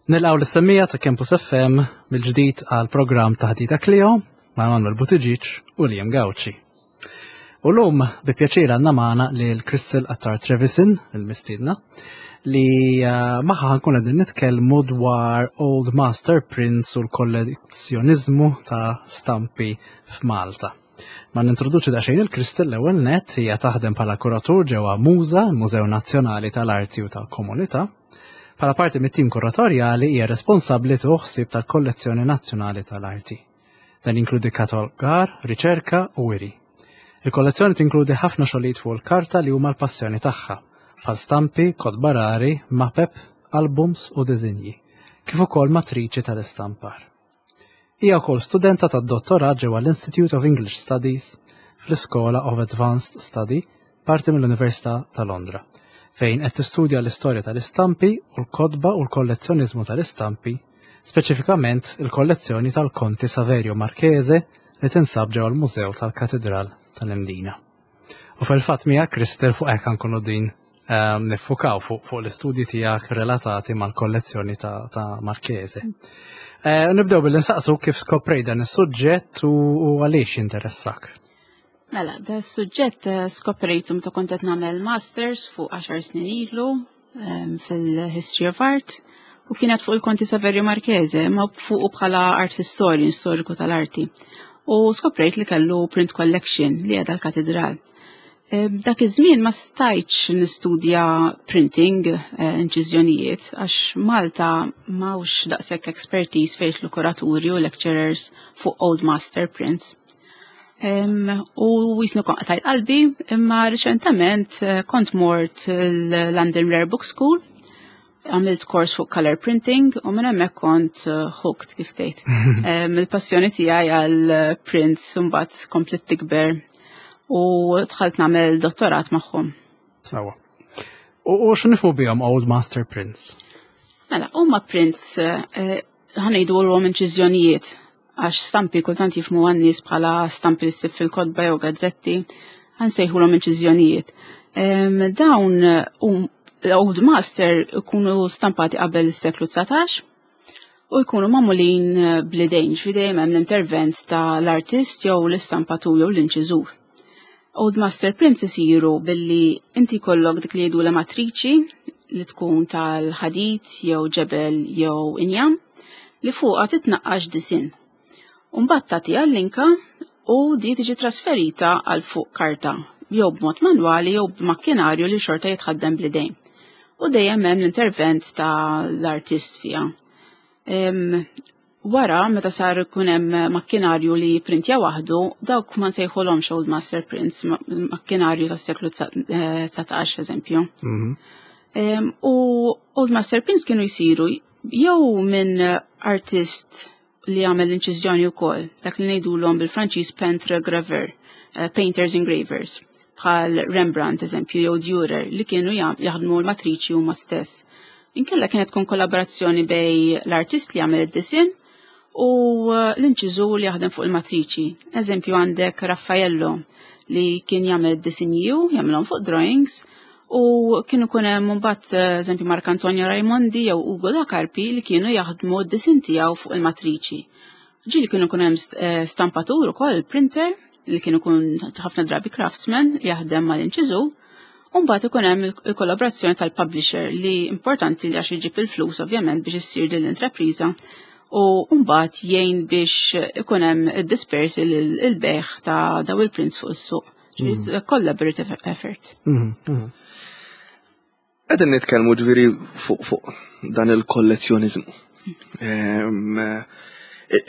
Nilqgħu lis-semmiegħa ta' Campus FM mill-ġdid għal programm Taħdita Clio ma' Manuel Buttigieg u Liam Gauci. U lum bi pjaċir għandna magħna lil Crystal Attar Trevisin, il-mistiedna, li eh, magħha ħankun qegħdin nitkellmu dwar Old Master Prints u l-kollezzjoniżmu ta' stampi f'Malta. Ma nintroduċi daqsxejn il-Crystal l-ewwel net hija taħdem bħala kuratur ġewwa Muża, il-Mużew Nazzjonali tal-Arti u tal-Komunità. Bħala parti mit-tim kuratorjali hija responsabbli tieħu ħsieb tal-Kollezzjoni Nazzjonali tal-Arti. Dan jinkludi katalogar, riċerka u wiri. Il-kollezzjoni tinkludi ħafna xogħlijiet fuq il-karta li huma l-passjoni tagħha, bħal stampi, kotba rari, mapep, albums u diżinji, kif ukoll matriċi tal-istampar. Hija wkoll studenta tad-dottorat ġewwa l-Institute of English Studies fl-Iskola of Advanced Study, parti mill-Università ta' Londra, fejn qed tistudja l-istorja tal-istampi u l-kotba u l-kollezzjoniżmu tal-istampi, speċifikament il-kollezzjoni tal-Konti Saverio Marchese li tinsab ġewwa l-Mużew tal-Katidral tal-Imdina. U fil-fatt miegħek Kristel fuq hekk nkunu din ehm, niffukaw fuq fu l-istudji tiegħek relatati mal-kollezzjoni ta', ta Marchese. Eh, nibdew billi nsaqsu kif skoprej dan is-suġġett u, u għaliex jinteressak. Mela, da suġġett eh, skoprejtu meta kont qed nagħmel masters fuq 10 snin ilu ehm, fil-History of Art u kienet fuq il-Konti Saverio Marchese, ma fuq bħala art historian, storiku tal-arti. U skoprejt li kellu print collection li għedha l-katedral. Ehm, dak iż-żmien ma stajtx nistudja printing, eh, inċiżjonijiet, għax Malta m'hawnx daqshekk expertise fejn l-kuraturi u lecturers fuq old master prints. Ehm, u jisnu kon qtajt qalbi, imma riċentament eh, kont mort l-London Rare Book School għamilt kors fuq color printing u minn hemmhekk kont eh, hooked kif tgħid. Il-passjoni tiegħi għal eh, prints mbagħad komplet tikber u dħalt nagħmel dottorat magħhom. Sawa. U x'nifhmu bihom Old Master Prints? Mela, huma prints eh, ħanejdu għom inċiżjonijiet għax stampi kultant jifmu għan-nies bħala stampi li ssib fil-kotba jew gazzetti, ħansejħulhom inċiżjonijiet. Dawn l-Old Master ikunu stampati qabel is-seklu 19 u jkunu magħmulin bl-idejn, ġifieri dejjem hemm l-intervent ta' l-artist jew l-istampatur jew l-inċiżur. Old Master Prints isiru billi inti jkollok dik li jgħidu la matriċi li tkun tal-ħadid jew ġebel jew injam li fuqha titnaqqax disinn. Umbagħad tagħtiha l-linka u di tiġi trasferita għal fuq karta jew b'mod manwali jew b'makkinarju li xorta jitħaddem bl-idejn. U dejjem hemm l-intervent ta' l-artist fiha. Wara, meta sar ikun hemm makkinarju li jipprintja waħdu, dawk ma nsejħulhomx Old Master Prints, makkinarju tas-seklu 19 eżempju. Mhm. U Old Master Prints kienu jsiru jew minn artist li jagħmel l-inċiżjoni wkoll, dak li ngħidulhom bil-Franċiż peintre graveur, eh, painters engravers, bħal Rembrandt eżempju jew Dürer li kienu jaħdmu l-matriċi huma stess. Inkella kienet tkun kollaborazzjoni bej l-artist li jagħmel id-disinn u eh, l-inċiżur li jaħdem fuq il-matriċi. Eżempju għandek Raffaello li kien jagħmel id-disinji u jagħmilhom fuq drawings u kienu kun hemm mbagħad eh, eżempju Mark Antonio Raimondi jew Ugo da Carpi li kienu jaħdmu d-disin tiegħu fuq il-matriċi. Ġieli kienu kun hemm eh, stampatur ukoll printer li kienu kun ħafna drabi craftsman jaħdem mal-inċiżu U mbagħad ikun hemm il-kollaborazzjoni tal-publisher li importanti li għax iġib il-flus ovvjament biex issir din l-intrapriża u mbagħad jgħin biex ikun hemm id-dispersi il-beħ ta' daw il-prints fuq is-suq. Mm. Collaborative effort. Mm, mm. Qegħdin nitkellmu ġifieri fuq fuq dan il-kollezzjoniżmu. Ehm,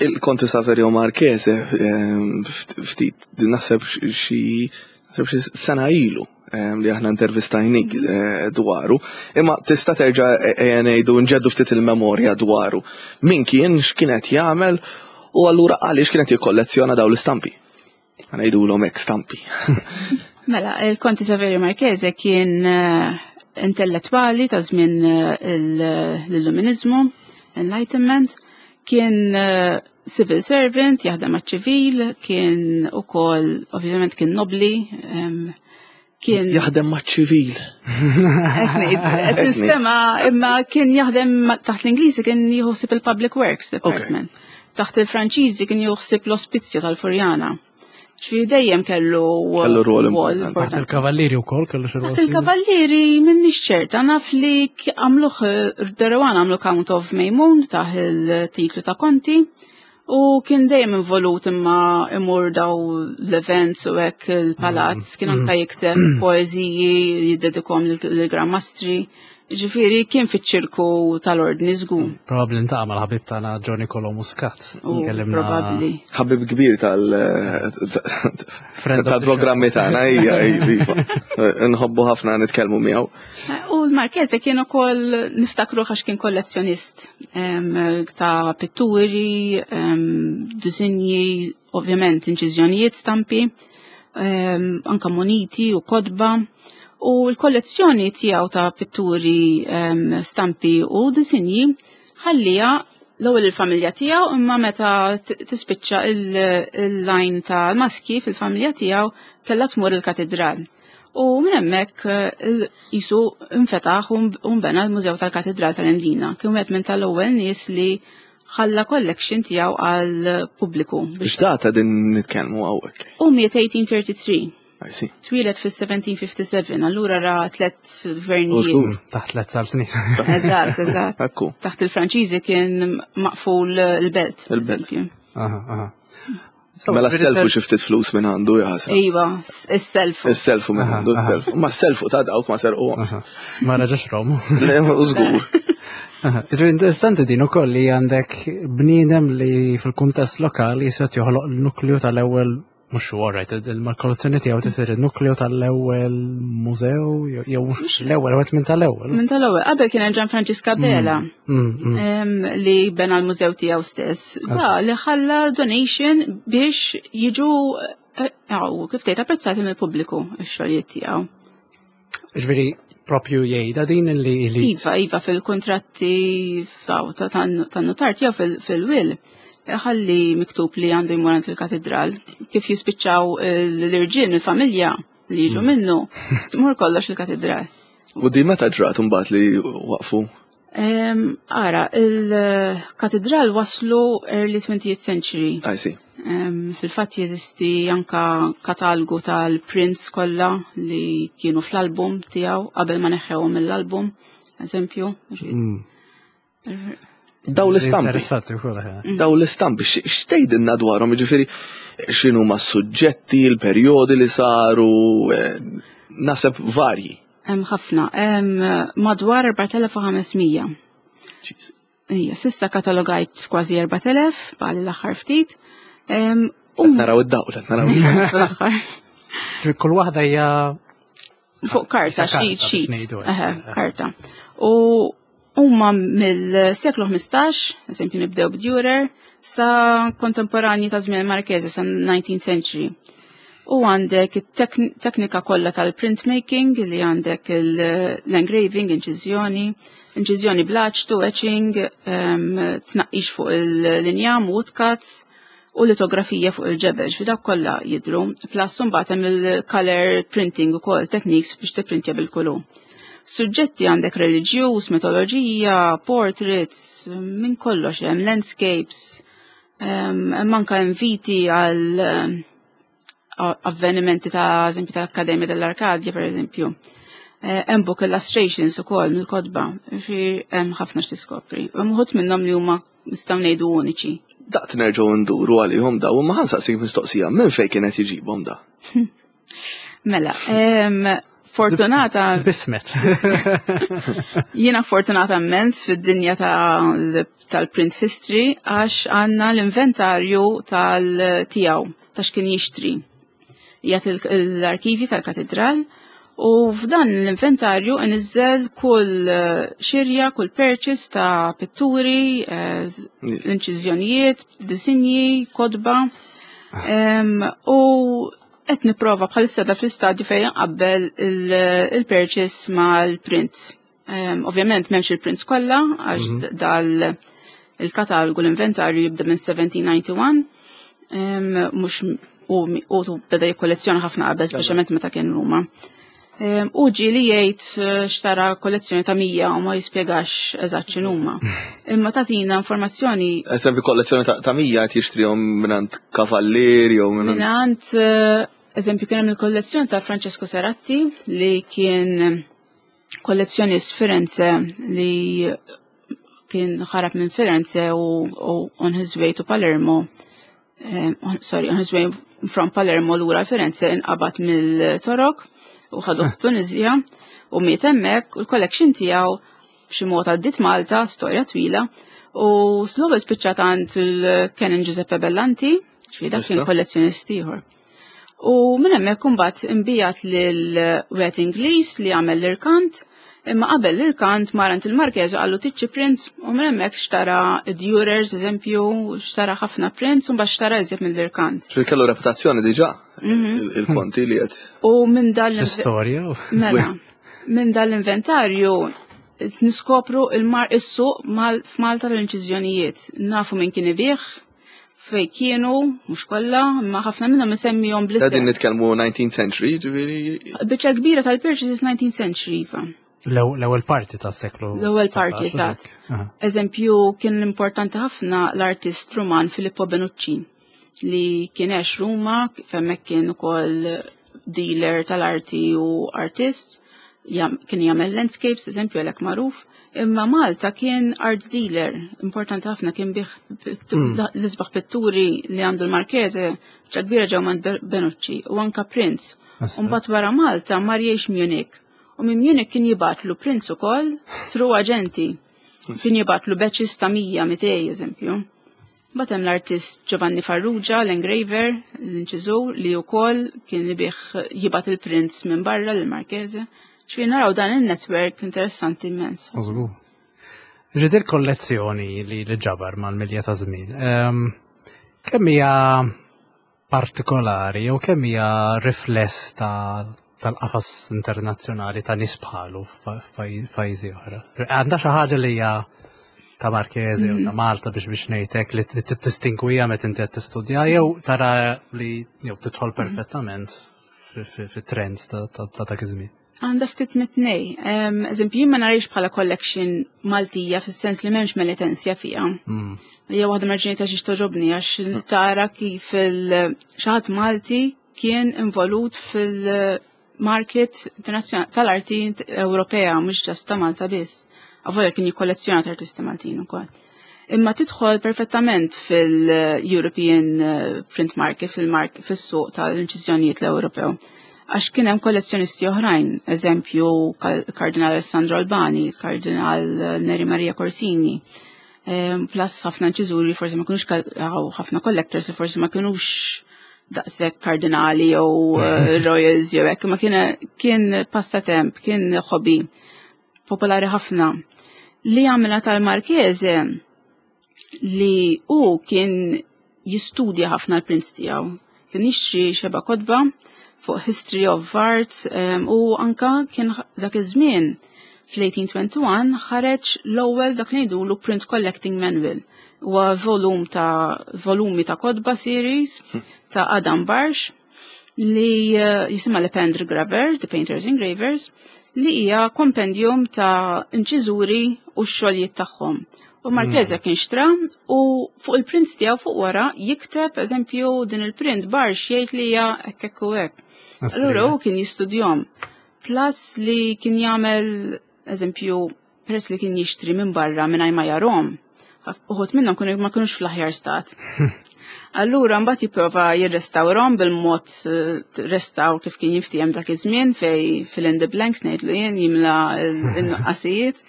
il-Konti Saverio Marchese ehm, ftit naħseb xi sena ilu ehm, li aħna intervistajnik eh, dwaru, imma tista' terġa' ejja ngħidu nġeddu ftit il-memorja dwaru. Min kien, x'kien qed jagħmel u allura għaliex kienet jikkollezzjona dawn l-istampi. Ngħidulhom hekk stampi. Mela, il-Konti Saverio Marchese kien eh, intellettwali ta' żmien eh, l-Illuminizmu, Enlightenment, kien eh, civil servant, jaħdem għaċ-ċivil, kien ukoll ovvjament kien nobli, Kien jaħdem maċ-ċivil. Qed nistema' imma kien jaħdem taħt l-Ingliżi kien jieħu il-Public Works Department. Taħt il-Franċiżi kien jieħu l-Ospizju tal-Furjana. Ġifieri dejjem kellu Kellu rwol importanti. Taħt il-Kavallieri wkoll kellu xi rwol. Taħt il-Kavallieri m'innix ċerta naf li għamluh Derewan għamlu Count of Maymun taħ il-titlu ta' Konti u kien dejjem involut imma imur daw l-events u hekk il-palazz, kien anka jikteb poeżiji jiddedikhom lill-Gran Mastri. Ġifieri kien fiċ-ċirku tal-ordni żgur. Probabbli ntaqa' mal-ħabib tagħna Johnny Colo Muscat. Probabbli. Ħabib kbir tal-programmi tagħna hija iva. Nħobbu ħafna nitkellmu miegħu. U l-Marchese kien ukoll niftakru għax kien kollezzjonist ta' pitturi, disinji, ovvjament inċiżjonijiet, stampi, anka moniti u kotba. U l-kollezzjoni tiegħu ta' pitturi, stampi u disinji ħallija l-ewwel il-familja tiegħu, imma meta tispiċċa il-line tal-maski fil-familja tiegħu kellha tmur il-katedral. U minn hemmhekk jisu infetaħ u nbena l-Mużew tal-Katedral tal-Imdina. Kien wieħed minn tal-ewwel nies li ħalla collection tiegħu għal pubbliku. Biex data din nitkellmu hawnhekk? U miet 1833. I see. Twieled fis-1757, allura ra tlet gvernijiet. Taħt tlet saltniet. Eżatt, eżatt. Ekku. Taħt il-Franċiżi kien maqful il-belt. Il-belt. Aha, aha. Mela s-selfu xi ftit flus minn għandu jaħasra. Iva, is-selfu. Is-selfu minn għandu, is-selfu. Ma s-selfu ta' dawk ma serqu. Ma raġax rom. Le, u żgur. Ġifieri interessanti din ukoll li għandek bniedem li fil-kuntest lokali jisgħet joħloq l-nukleu tal-ewwel mhux huwa right, il-kollezzjoni tiegħu tisir il-nukleu tal-ewwel mużew jew mhux l-ewwel wieħed minn tal-ewwel. Minn tal-ewwel, qabel kien hemm Gian Francisca Bela li bena l-mużew tiegħu stess. Da li ħalla donation biex jiġu kif tgħid apprezzati mill-pubbliku x-xogħlijiet tiegħu. Ġifieri propju jgħidha din li Iva, iva fil-kontratti tan-notar tiegħu fil-will. Ħalli miktub li għandu jmur għand il-katedral. Kif jispiċċaw l-irġiel mill-familja li jiġu minnu, tmur kollox il-katedral. U di meta ġrat imbagħad li waqfu? Ara, il-katedral waslu early 20th century. I see. Fil-fatt jeżisti anka katalgu tal-prints kollha li kienu fl-album tiegħu qabel ma neħħewhom mill-album, eżempju. Daw l-istampi. Interessanti wkoll, eh. Daw l-istampi, x'tgħidilna dwarhom, jiġifieri x'inhu ma' suġġetti, l-perjodi li saru, naseb varji. Hemm ħafna, hemm madwar 4500. Jeez. Ija, sissa katalogajt kważi 4000, bħal l-aħħar ftit. Qed naraw id-dawl, qed naraw id-dawl. L-aħħar. Ġifieri kull waħda hija fuq karta, Issa karta sheet, biex sheet. ngħidu hekk. Eħe, karta. U huma mill-seklu 15, eżempju nibdew b'Dürer, sa kontemporanji ta' żmien Marchese sa 19th century. U għandek it-teknika kollha tal-printmaking li għandek l-engraving, inċiżjoni, inċiżjoni bl-aċtu, etching, tnaqqix fuq il-linjam, woodcuts, u litografija fuq il-ġebel, fi dawk kollha jidhru. Plus imbagħad hemm il-color printing ukoll techniques biex tipprintja bil-kulur. Suġġetti għandek reliġjuż, mitoloġija, portraits, minn kollox hemm landscapes, hemm anke inviti għal avvenimenti ta' eżempju tal-Akkademja dell-Arkadja, per eżempju. Hemm book illustrations ukoll mill-kotba, ġifieri hemm ħafna x'tiskopri. Hemm uħud minnhom li huma nistgħu ngħidu uniċi. Daqt nerġgħu nduru għalihom daw, imma ħansaqsik mistoqsija, minn fejn kienet jġibhom da? Mela, fortunata. Bismet. Jiena fortunata immens fid-dinja tal-print history għax għandna l-inventarju tal-tiegħu ta' x'kien jixtri. Jgħat l-arkivi tal-katedral u f'dan l-inventarju nizzel kull xirja, kull purchase ta' pitturi, inċiżjonijiet, disinji, kotba. U qed nipprova bħalissa da fl-istadju fejn nqabbel il-purchase mal-print. Ovvjament m'hemmx il-prints kollha għax dal il-katalgu l-inventarju jibda minn 1791, mhux u beda jikkollezzjona ħafna qabel, speċjalment meta kien Ruma. U ġieli jgħid xtara kollezzjoni ta' 100 u ma jispjegax eżatt x'inhuma. Imma tagħtina informazzjoni. Eżempju kollezzjoni ta' 100 qed jixtrihom mingħand kavallier jew mingħand Mingħand eżempju kien hemm il-kollezzjoni ta' Francesco Seratti li kien kollezzjonist Firenze li kien ħarab minn Firenze u on his way to Palermo. Sorry, on his way from Palermo lura Firenze inqabad mill-Torok u ħaduh Tunizja u miet hemmhekk u l-collection tiegħu b'xi mod għaddiet Malta, storja twila, u l-ewwel spiċċat għand il-Canon Giuseppe Bellanti, ġifieri dak kien kollezzjonist ieħor. U minn hemmhekk imbagħad imbijat lil wieħed Ingliż li għamel l-irkant, imma qabel l-irkant mar għand il-Marchese u qallu tiċċi prints u minn hemmhekk xtara Dürers, eżempju, xtara ħafna prints u mbagħad xtara iżjed mill-irkant. Ġifieri kellu reputazzjoni diġà il-konti li qed. U minn dan l- Storja? Mela, minn dan l-inventarju niskopru il-mar is-suq f'Malta l-inċiżjonijiet. Nafu minn kien ibigħ, fej kienu, mhux kollha, imma ħafna minnhom isemmihom bl Qegħdin nitkellmu 19th century, ġifieri. Biċċa kbira tal-purchases 19th century, iva. L-ewwel parti tas-seklu. L-ewwel parti, eżatt. Eżempju, kien importanti ħafna l-artist Ruman Filippo Benucci li kien għex Ruma, femmek kien ukoll dealer tal-arti u artist, kien jagħmel landscapes, eżempju, għalhekk magħruf. Imma Malta kien art dealer, importanti ħafna kien bih l-isbaħ pitturi li għandu l-Marchese, biċċa kbira ġew minn Benucci u anka prints. Mbagħad wara Malta mar jgħix Munich. U minn Munich kien jibgħatlu prints ukoll through aġenti. Kien jibgħatlu batches ta' 100, 200 eżempju. Mbagħad hemm l-artist Giovanni Farrugia, l-engraver, l-inċiżur, li wkoll kien ibigħ jibgħat il-prints minn barra l-Marchese. Ġifieri naraw dan il-network interessanti immens. Żgur. Ġidir kollezzjoni li ġabar mal-milja ta' żmien. Kemm hija partikolari jew kemm hija rifless tal-qafas internazzjonali ta' nies bħalu f'pajjiżi oħra? Għandha xi ħaġa li hija ta' Marchese u ta' Malta biex ngħidlek li tistinkwija meta inti qed tistudja jew tara li jew tidħol perfettament fit-trends ta' dak iż-żmien? Għandha ftit mit-tnej. Eżempju, jien ma narix bħala collection Maltija fis-sens li m'hemmx Melitensja fiha. Hija waħda mir-raġuni ta' xiex togħġobni għax tara kif xi ħadd Malti kien involut fil-market internazzjonali tal-arti Ewropea, mhux just ta' Malta biss. Avolja kien jikkollezzjona artisti Maltin ukoll. Imma tidħol perfettament fil-European print market, fil-suq tal-inċiżjonijiet l-Ewropew. Għax kien hemm kollezzjonisti oħrajn, eżempju Kardinal Alessandro Albani, Kardinal Neri Maria Corsini, plus ħafna inċiżuri forsi ma kinux ħafna collectors forsi ma kinux daqshekk kardinali jew royals jew hekk, ma kien passatemp, kien hobby popolari ħafna. Li għamela tal-Marchese li u kien jistudja ħafna l-prints tiegħu. Kien jixtri xeba kotba fuq History of Art u anka kien dak iż-żmien fl-1821 ħareġ l-ewwel dak li ngħidulu Print Collecting Manual. Huwa volum ta' volumi ta' kotba series ta' Adam Barsch li jisimha Le Pendre Graver, The Painters Engravers, li hija kompendium ta' inċiżuri u x-xogħlijiet tagħhom. U Marchese kien xtra u fuq il-prints tiegħu fuq wara jikteb eżempju din il-print Barsch jgħid li hija hekk hekk u hekk. Allura hu kien jistudjom. Plus li kien jagħmel eżempju peress li kien jixtri minn barra mingħajr ma jarhom. Uħud minnhom kienu ma kinux fl-aħjar stat. Allura mbagħad jipprova jirrestawrhom bil-mod restawr kif kien jiftiehem dak iż-żmien fej fill in the blanks ngħidlu jien jimla n-nuqqasijiet.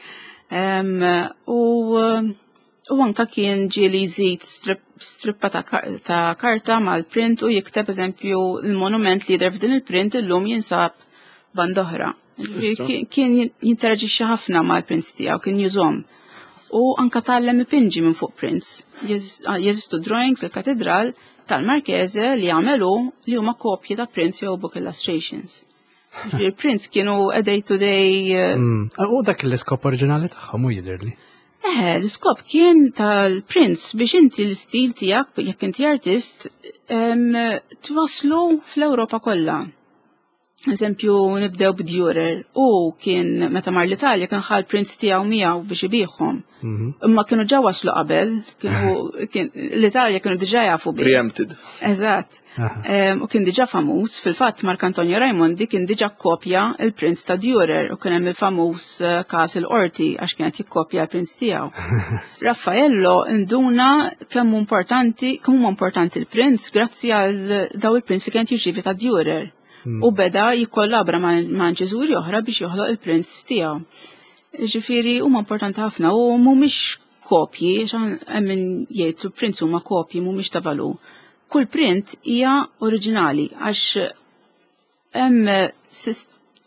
U anka kien ġieli jżid strippa ta' karta mal-print u jikteb eżempju il-monument li jidher f'din il-print illum jinsab band oħra. Kien jinteraġixxi ħafna mal-prints tiegħu, kien jużhom. U anka tgħallem ipinġi minn fuq prints. Jeżistu drawings il-katedral tal-Marchese li għamelu li huma kopji ta' prints jew book illustrations. Il-prints kienu a day to day. U dak l-iskop oriġinali tagħhom u jidhirli. L-iskop kien tal-prints biex inti l-istil tiegħek, jekk inti artist, twaslu fl-Ewropa kollha. Eżempju, nibdew b'Durer. U kien meta mar l-Italja kien ħal prints tiegħu miegħu biex ibiħhom. Mhm. Imma kienu ġa waslu qabel, l-Italja kienu diġà jafu bih. Preempted. Eżatt. U kien diġà famuż, fil-fatt Mark Antonio Raimondi kien diġà kopja il-prints ta' Durer u kien hemm il-famuż eh, każ il-qorti għax kienet jikkopja l-prints tiegħu. Raffaello induna kemm importanti, kemm huma importanti l-prints grazzi għal daw il-prints li kienet jirċievi ta' Durer. U beda jikkollabra ma' inċiżuri oħra biex joħloq il-prints tiegħu. Ġifieri huma importanti ħafna u mhumiex kopji, hemm min jgħid prints huma kopji mhumiex ta' valur. Kull print hija oriġinali għax hemm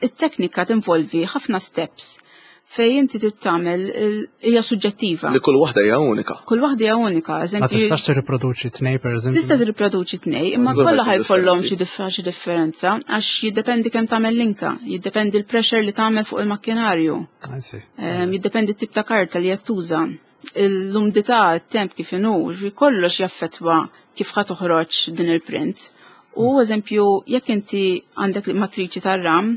it-teknika tinvolvi ħafna steps fej inti trid tagħmel hija suġġettiva. Li kull waħda hija unika. Kull waħda hija unika, eżempju. Ma tistax tirriproduċi tnej pereżempju. Tista' tirriproduċi tnej, imma kollha ħajkollhom xi xi differenza għax jiddependi kemm tagħmel linka, jiddependi l-pressure li tagħmel fuq il-makkinarju. Ehm, jiddependi t-tip ta' karta li qed tuża. L-umdità, t-temp kif inhu, kollox jaffettwa kif ħa toħroġ din il-print. U eżempju, jekk inti għandek matriċi tar-ram,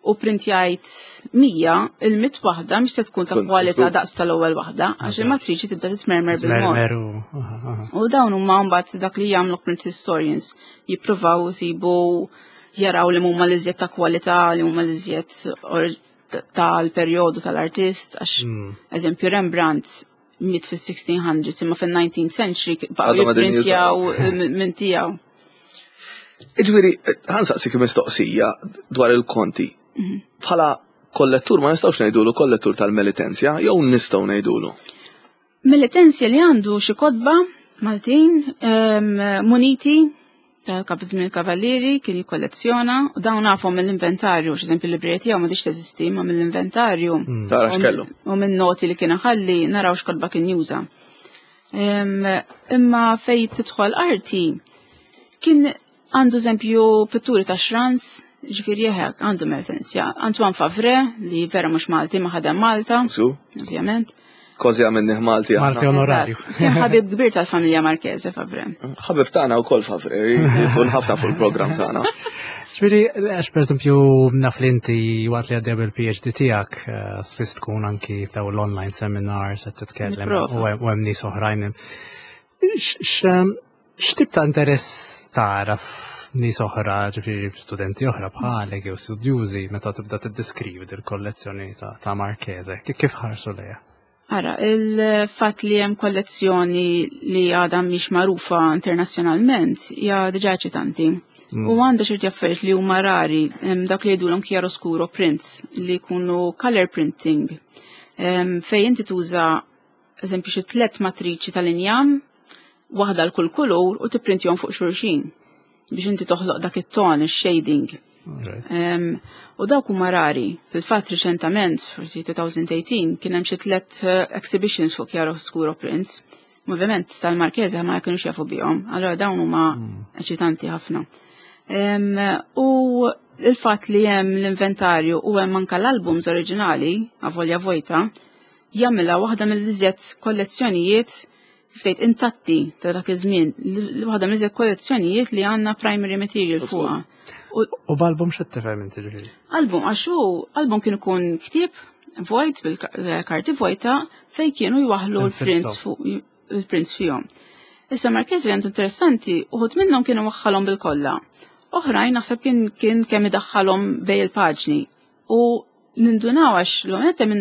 u printjajt 100, il-mit waħda mhix se tkun ta' kwalità daqs tal-ewwel waħda, għax il-matriċi tibda titmermer bil-mod. U dawn huma mbagħad dak li jagħmlu print historians, jippruvaw isibu jaraw li huma l-iżjed ta' kwalità, li huma l-iżjed tal-perjodu tal-artist, għax hmm. eżempju Rembrandt miet fis-1600s imma fil-19th century baqgħu jipprintjaw minn tiegħu. Iġviri, ħansaqsik mistoqsija dwar il-konti. Mhm. Bħala kollettur ma nistgħux ngħidulu kollettur tal-Melitenzja jew nistgħu ngħidulu? Melitenzja li għandu xi kotba Maltin ehm, muniti ta' żmien il-kavallieri kien jikkollezzjona u dawn nafhom mill-inventarju, x'eżempju l-librerija tiegħu m'għadix teżisti ma mill-inventarju. Mm. Tara x'kellu. U minn noti li kien ħalli naraw x'kotba kien juża. Imma fej tidħol arti kien għandu eżempju pitturi ta' xrans, ġifieri jeħek għandu Mertensja. Antoine Favre li vera mhux Malti ma ħadem Malta. Ovvjament. Kważi għamilnih Malti. Malti onorarju. Kien ħabib kbir tal-familja Marchese Favre. Ħabib tagħna wkoll Favre, jkun ħafna fuq il-programm tagħna. Ġifieri, għax pereżempju naf li inti waqt li għaddej bil-PhD tiegħek eh, spiss tkun anki f'daw l-online seminars qed titkellem u hemm nies oħrajn. X'tip ta' interess tara f'nies oħra, ġifieri studenti oħra bħalek jew studjużi meta tibda tiddeskrivi dil-kollezzjoni ta' Marchese, kif ħarsu lejha? Ara, il-fatt li hemm kollezzjoni li għadha mhix magħrufa internazzjonalment hija diġà eċitanti. Mm. U għandha ċerti affarijiet li huma rari, dak li jgħidulhom chiaroscuro prints li jkunu color printing. Fejn inti tuża eżempju xi tlet matriċi tal-injam, waħda l kull kulur u tipprintjhom fuq xulxin biex inti toħloq dak it-ton, ix-shading. Um, u dawk huma rari. Fil-fatt riċentament, forsi 2018, kien hemm xi tlet eh, exhibitions fuq chiaroscuro prints. Ovvjament tal-Markeza ma kienux jafu bihom, allora dawn huma mm. eċitanti ħafna. Um, u il-fatt li hemm l-inventarju u hemm anka l-albums oriġinali, avolja vojta, jagħmilha waħda mill-iżjed kollezzjonijiet kif tgħid intatti ta' dak iż-żmien, waħda mill-iżjed kollezzjonijiet li għandna primary material fuqha. U b'album x'qed tifhem inti ġifieri? Album għax hu album kien ikun ktieb vojt bil-karti vojta fej kienu jwaħlu l-prints fuq il-prints fihom. Issa Marquez li għandu interessanti, uħud minnhom kienu waħħalhom bil-kollha. Oħrajn naħseb kien kien kemm idaħħalhom bej il-paġni. U nindunaw għax l-għonet hemm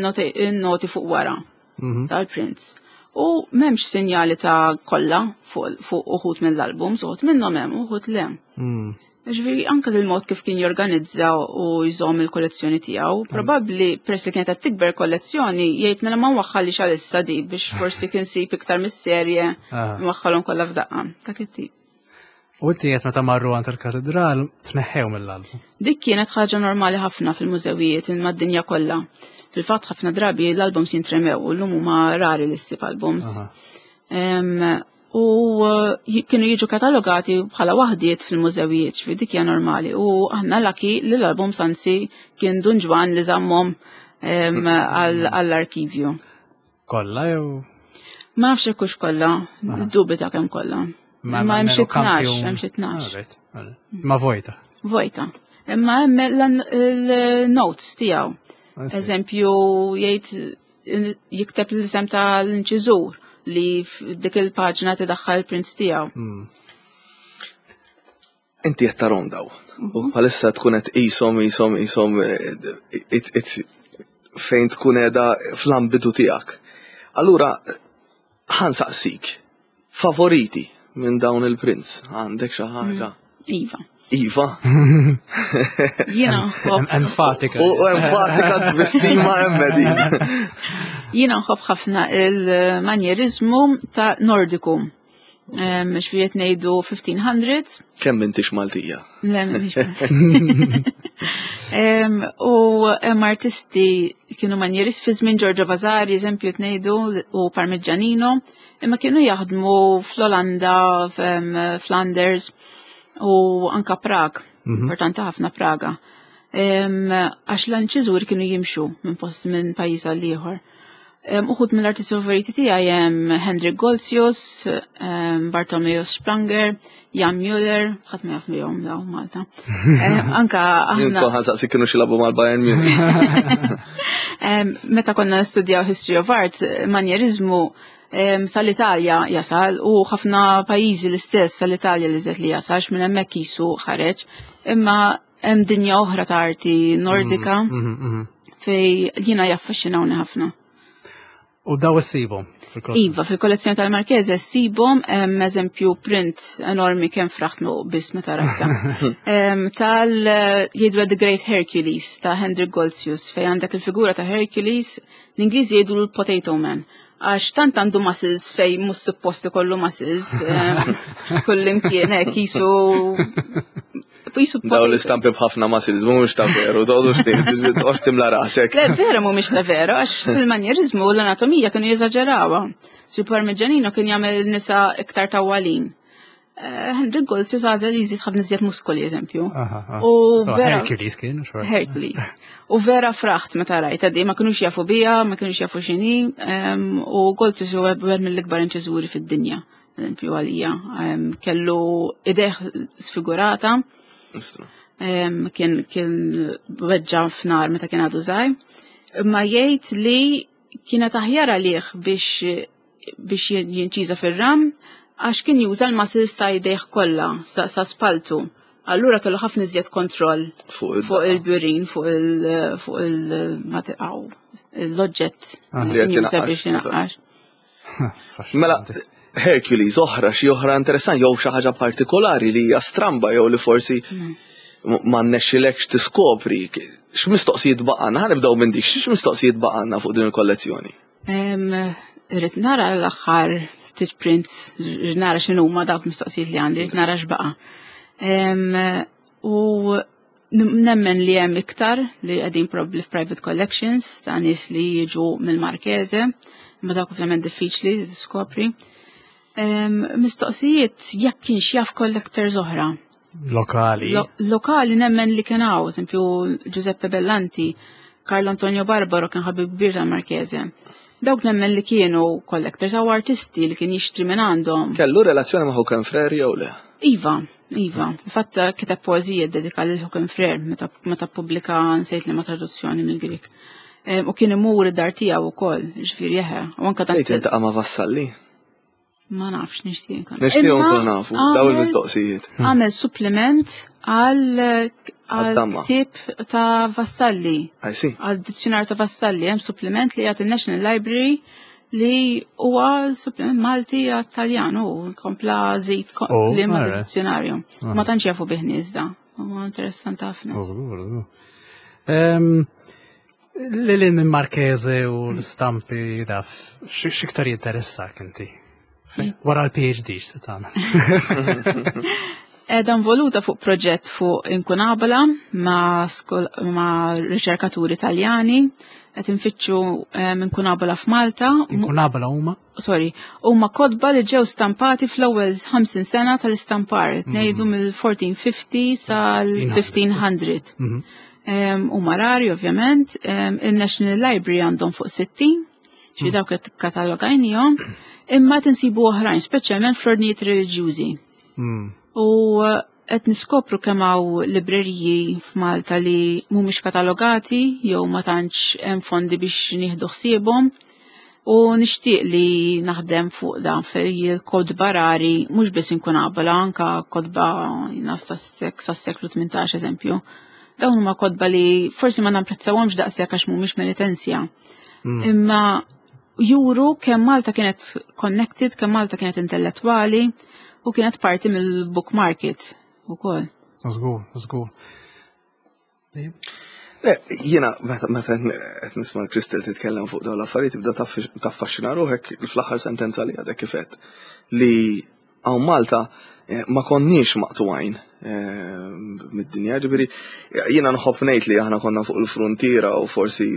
in-noti fuq wara mhm. tal-prints. U m'hemmx sinjali ta' kollha fuq uħud mill-albums, uħud minnhom hemm, uħud le. Mm. Ġifieri anke l-mod kif kien jorganizza u jżomm il-kollezzjoni tiegħu, mm. probabbli peress li kienet qed tikber kollezzjoni jgħid mela ma waħħalli għalissa di biex forsi kien sib iktar mis-serje ah. waħħalhom kollha f'daqqa. Dak it-tip. U inti qed meta marru għand il-katedral tneħħew mill-album. Dik kienet ħaġa normali ħafna fil-mużewijiet mad-dinja kollha. Fil-fatt ħafna drabi l-albums jintremew u llum huma rari li ssib albums. U eh, kienu jiġu katalogati bħala waħdiet fil-mużewijiet, ġifieri dik hija normali. U aħna laki li l-albums anzi kien Dun Ġwann li żammhom għall-arkivju. Kollha jew? Ma nafx hekk hux kollha, dubita kemm kollha. Ma hemm xi tnax, hemm xi tnax. Ma vojta. Vojta. Imma hemm il-notes tiegħu. Eżempju, jgħid jikteb l-isem tal-inċiżur li f'dik il-paġna tidaħħal il-prints tiegħu. Inti qed tarhom daw. U bħalissa tkun qed qishom qishom qishom eh, fejn tkun qiegħda fl-ambitu tiegħek. Allura ħansaqsik, favoriti minn dawn il-prints, għandek xi ħaġa? Iva. Iva. Jiena Enfatika. U enfatika tbissima emmedi. Jiena nħobb ħafna il-manjerizmu ta' Nordiku. Xfijiet ngħidu 1500. Kemm intix Maltija? Le, U hemm artisti kienu manjerist fi żmien Giorgio Vasari, eżempju ngħidu, u Parmigianino, imma kienu jaħdmu fl-Olanda, Flanders u anka Prag, mhm. importanti ħafna Praga. Għax l-anċiżur kienu jimxu minn post minn pajjiż għal ieħor. Uħud mill-artisti favoriti tiegħi hemm Hendrik Golzius, Bartolomeo Spranger, Jan Müller, ħadd ma jaf bihom daw Malta. Anka aħna. Kont saqsi kienu xilabu mal-Bayern Munich. Meta konna nistudjaw History of Art, manjerizmu sal-Italja jasal u ħafna pajjiżi l-istess sal-Italja li żed li jasal minn hemmhekk jisu ħareġ. Imma hemm dinja oħra ta' arti nordika mm, mm, mm, fej jiena jaffaxxinawni ħafna. U daw issibhom fil-kollezzjoni? Iva, fil-kollezzjoni tal-Marchese ssibhom hemm eżempju print enormi kemm fraħtmu biss meta rajta. Tal jgħidu The Great Hercules ta' Hendrik Goltzius fejn għandek il-figura ta' Hercules, l-Ingliżi jgħidu l-Potato Man għax tant għandu muscles fej mhux suppost ikollu muscles kull imkien hekk jisu Daw l-istampi b'ħafna muscles mhumiex ta' veru, toqgħodux toqgħodx timla rasek. Le vera mhumiex ta' veru, għax fil-manjerizmu l-anatomija kienu jeżaġerawha. Su Parmigianino kien jagħmel nisa iktar tawwalin. Eh, Hendrik Golsius għażel jżid ħafna iżjed muskoli eżempju. U vera Hercules kien, Hercules. U vera fraħt meta rajt għaddi ma kinux jafu bija, ma kinux jafu x'inhi, u Golsius huwa wieħed mill-ikbar inċiżuri fid-dinja eżempju għalija, kellu ideħ sfigurata. Kien kien weġġa f'nar meta kien għadu żgħir. Imma jgħid li kienet aħjar għalih biex biex jinċiża fir-ram għax kien juża l-muscles ta' jdejh kollha sa, sa spaltu. Allura kellu ħafna iżjed kontroll fuq il-burin, fuq il fuq il l-oġġett li qed juża biex jinaqqax. Mela, Hercules oħra xi oħra interessanti jew xi ħaġa partikolari li hija stramba jew li forsi mm. ma nnexxilekx tiskopri x'mistoqsijiet baqgħna, ħa nibdew minn dik, x'mistoqsijiet baqgħna fuq din il-kollezzjoni? Irrid nara l-aħħar ftit prints, irrid nara x'inhuma dawk mistoqsijiet li għandi, irrid nara x'baqa'. U Nemmen li hemm iktar li qegħdin probabbli f'private collections ta' nies li jiġu mill-Marchese, imma dawk ovvjament diffiċli li tiskopri. Mistoqsijiet jekk kienx jaf collectors oħra. Lokali. Lokali nemmen li kien hawn, eżempju Giuseppe Bellanti, Carlo Antonio Barbaro kien ħabib kbir tal-Marchese. Dawk nemmen li kienu collectors għaw artisti li kien jixtri minn għandhom. Kellu relazzjoni ma' Huken Frere jew le? Iva, Iva, fatt kiteb poeżija dedika lil Huken Frere meta meta ppubblika nsejt li ma traduzzjoni mill-Grik. U kien imur id-dar tiegħu wkoll, ġifieri eħe. U anke tant. Tgħid intaqa' ma' Vassalli? Ma nafx nixtieq nkun. Nixtieq nkun nafu, daw il-mistoqsijiet. Għamel supplement għal ktieb ta' Vassalli. Għal dizzjonar ta' Vassalli, hemm supplement li jagħti National Library li huwa supplement Malti għat-Taljan u kompla żid oh, li ma dizzjonarju. Ah. Ma tantx jafu bih nies da. Huwa interessanti ħafna. Oh, Lili minn Marchese u l-stampi daf, x'iktar jinteressak inti? Wara l-PhD x'se tagħmel? Edha involuta fuq proġett fuq inkunabla ma', ma riċerkaturi Taljani qed infittxu eh, inkunabla f'Malta. Inkunabla huma? Sorry, huma kodba li ġew stampati fl-ewwel 50 sena tal-istampar, ngħidu mill-1450 sal-1500. Mhm. Huma rari ovvjament, il-National Library għandhom fuq 60, ġifieri mm. dawk qed katalogajnihom, imma tinsibu oħrajn, speċjalment fl-ordnijiet reliġjużi. Mm. U Qed niskopru kemm hawn libreriji f'Malta li mhumiex katalogati jew ma tantx hemm fondi biex nieħdu ħsiebhom. U nixtieq li naħdem fuq dan fej il-kotba rari mhux biss inkun qabla anka kotba sas-seklu 18 eżempju. Dawn huma kotba li forsi ma napprezzawhomx daqshekk għax mhumiex Melitensja. Imma juru kemm Malta kienet connected, kemm Malta kienet intellettwali u kienet parti mill-book market ukoll. Żgur, żgur. Le, jiena meta qed nisma' Crystal titkellem fuq dawn l-affarijiet tibda taffaxxina ruħek fl-aħħar sentenza li għadek kif għedt li hawn Malta ma konniex maqtugħin mid-dinja, ġifieri jiena nħobb ngħid li aħna konna fuq il-frontiera u forsi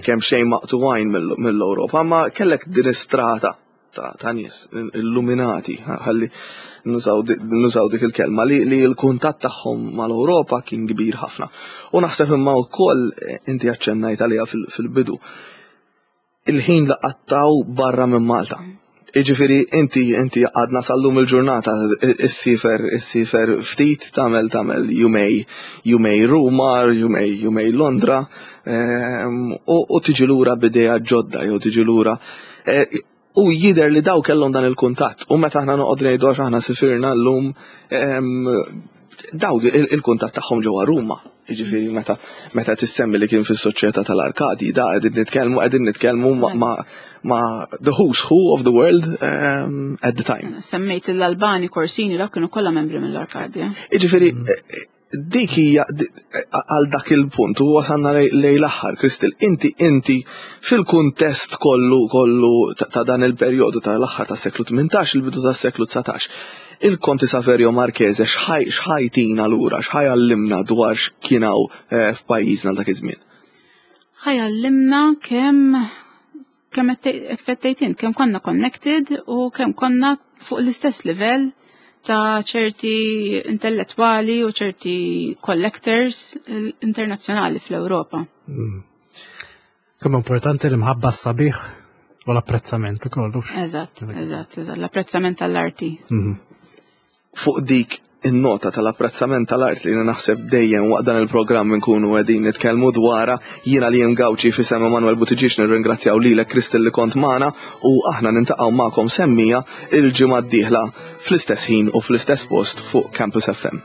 kemm xejn maqtugħin mill-Ewropa, ma kellek din istrata ta' nies illuminati, ħalli nużaw dik il-kelma, li l-kuntatt tagħhom mal-Ewropa kien kbir ħafna. U naħseb imma wkoll inti aċċennajt għaliha fil-bidu. Il-ħin li qattaw barra minn Malta. Iġifieri inti għadna sal-lum il-ġurnata issiefer ftit tagħmel jumejn Ruma, jumejn Londra, u tiġi lura b'idea ġodda jew tiġi lura. U jidher li daw kellhom dan il-kuntatt. U meta aħna noqgħod ngħidu għax aħna sifirna llum, daw il-kuntatt tagħhom ġewwa Ruma. Jiġifieri meta tissemmi li kien fis-soċjetà tal-Arkadi, da qegħdin nitkellmu ma the who's who of the world at the time. Semmejt l-Albani, Corsini, dak kienu kollha membri mill-Arkadja. Jiġifieri dik hija għal dak il-punt u wasalna lejn l-aħħar, Crystal, inti fil-kuntest kollu ta' dan il-perjodu tal-aħħar tas-seklu 18, il-bidu tas-seklu 19. Il-Konti Saverio Marchese x'ħa jtina lura, x'ħa jgħallimna dwar x'kien hawn f'pajjiżna dak iż-żmien? Ħa jgħallimna kemm qed int, kemm konna connected u kemm konna fuq l-istess livell ta' ċerti intellettwali u ċerti collectors internazzjonali fl-Ewropa. Kemm importanti l-imħabba s-sabiħ u l-apprezzament ukoll. Eżatt, l-apprezzament tal-arti. Fuq dik in-nota tal-apprezzament tal-art li naħseb dejjem waqt dan il-programm nkunu qegħdin nitkellmu dwarha, jiena li Gauci f'isem Emanuel Buttigieg nirringrazzjaw lilek, Crystal, li kont magħna u aħna niltaqgħu magħkom semmija il-ġimgħa d-dieħla fl-istess ħin u fl-istess post fuq Campus FM.